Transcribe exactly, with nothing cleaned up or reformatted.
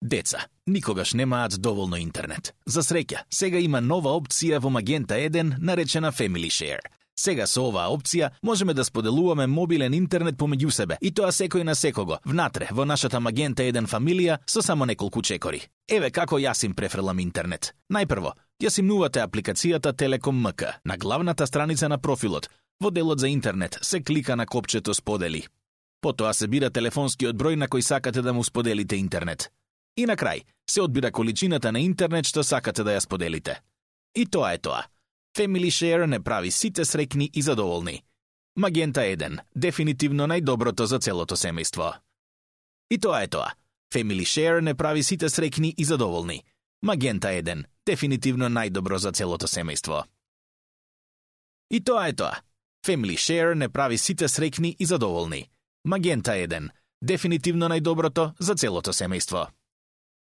Деца, никогаш немаат доволно интернет. За среќа, сега има нова опција во Magenta еден наречена Family Share. Сега со оваа опција можеме да споделуваме мобилен интернет помеѓу себе, и тоа секој на секого, внатре, во нашата Magenta еден фамилија со само неколку чекори. Еве како јас им префрлам интернет. Најпрво, ја симнувате апликацијата Телеком ем ка. На главната страница на профилот, во делот за интернет, се клика на копчето Сподели. Потоа се бира телефонскиот број на кој сакате да му споделите интернет. И на крај, се одбира количината на интернет што сакате да ја споделите. И тоа е тоа. Family Share не прави сите среќни и задоволни. Magenta еден, дефинитивно најдоброто за целото семејство. И тоа е тоа. Family Share не прави сите среќни и задоволни. Magenta еден, дефинитивно најдобро за целото семејство. И тоа е тоа. Family Share не прави сите среќни и задоволни. Magenta еден, дефинитивно најдоброто за целото семејство.